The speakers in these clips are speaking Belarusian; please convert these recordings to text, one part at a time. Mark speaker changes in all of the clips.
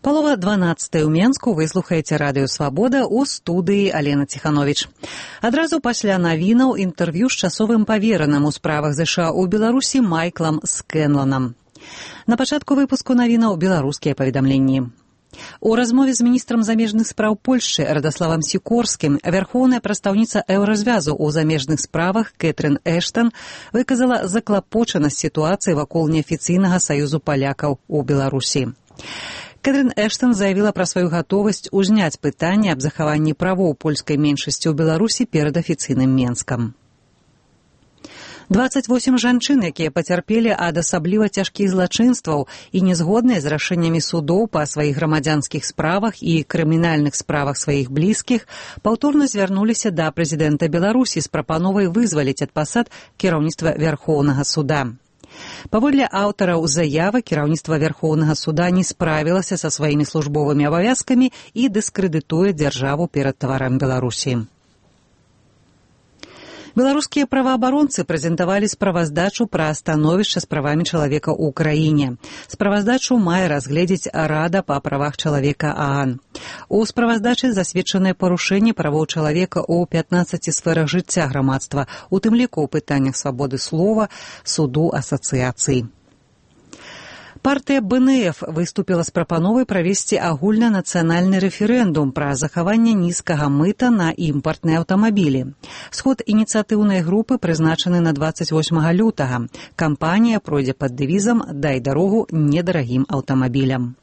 Speaker 1: Палова 12 ў Менску, вы слухаеце радыё «Свабода», у студыі Алена Ціхановіч. Адразу пасля навінаў інтэрв'ю з часовым павераным у справах ЗША ў Беларусі Майклам Скэнланам. На пачатку выпуску навінаў беларускія паведамленні. У размове з міністрам замежных спраў Польшчы Радаславам Сікорскім вярхоўная прадстаўніца еўразвязу ў замежных справах Кэтрын Эштан выказала заклапочанасць сітуацыі вакол неафіцыйнага саюзу палякаў у Беларусі. Кэтрын Эштан заявіла пра сваю гатовасць узняць пытанне аб захаванні правоў польскай меншасці ў Беларусі перад афіцыйным Менскам. 28 жанчын, якія пацярпелі ад асабліва цяжкіх злачынстваў і незгодныя з рашэннямі судоў па сваіх грамадзянскіх справах і крымінальных справах сваіх блізкіх, паўторна звярнуліся да прэзідэнта Беларусі з прапановай вызваліць ад пасад кіраўніцтва Вярхоўнага суда. Паводле аўтараў заявы, кіраўніцтва Вярхоўнага суда не справілася са сваімі службовымі абавязкамі і дыскрэдытуе дзяржаву перад таварам Беларусі. Беларускія праваабаронцы прэзентавалі справаздачу пра становішча з правамі чалавека ў краіне. Справаздачу мае разгледзець Рада па правах чалавека ААН. У справаздачы засведчаныя парушэнні правоў чалавека ў 15 сферах жыцця грамадства, у тым ліку ў пытаннях свабоды слова, суду, асацыяцый. Партыя БНФ выступіла з прапановай правесці агульнанацыянальны рэферэндум пра захаванне нізкага мыта на імпартныя аўтамабілі. Сход ініцыятыўнай групы прызначаны на 28 лютага. Кампанія пройдзе пад дэвізам «Дай дарогу недарагім аўтамабілям».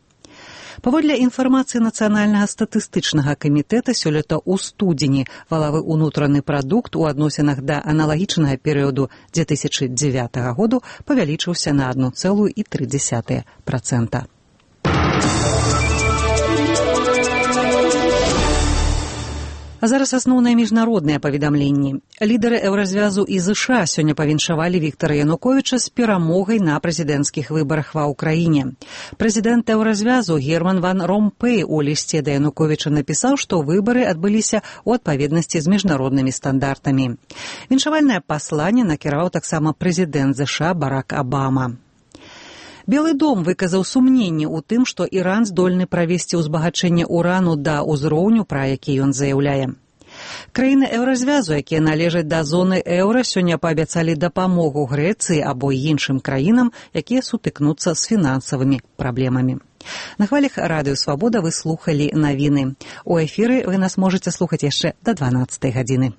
Speaker 1: Паводле інфармацыі Нацыянальнага статыстычнага камітэта, сёлета ў студзені валавы ўнутраны прадукт у адносінах да аналагічнага перыяду 2009 году павялічыўся на 1,3%. А зараз асноўныя міжнародныя паведамленні. Лідары еўразвязу і ЗША сёння павіншавалі Віктара Януковіча з перамогай на прэзідэнцкіх выбарах ва ўкраіне. Прэзідэнт еўразвязу Герман ван Ромпэй у лісце да Януковіча напісаў, што выбары адбыліся ў адпаведнасці з міжнароднымі стандартамі. Віншавальнае пасланне накіраваў таксама прэзідэнт ЗША Барак Абама. Белы дом выказаў сумненне ў тым, што Іран здольны правесці ўзбагачэнне урану да ўзроўню, пра які ён заяўляе. Краіны еўразвязу, якія належаць да зоны еўра, сёння паабяцалі дапамогу Грэцыі або іншым краінам, якія сутыкнуцца з фінансавымі праблемамі. На хвалях радыё «Свабода» вы слухалі навіны. У эфіры вы нас можаце слухаць яшчэ да 12 гадзіны.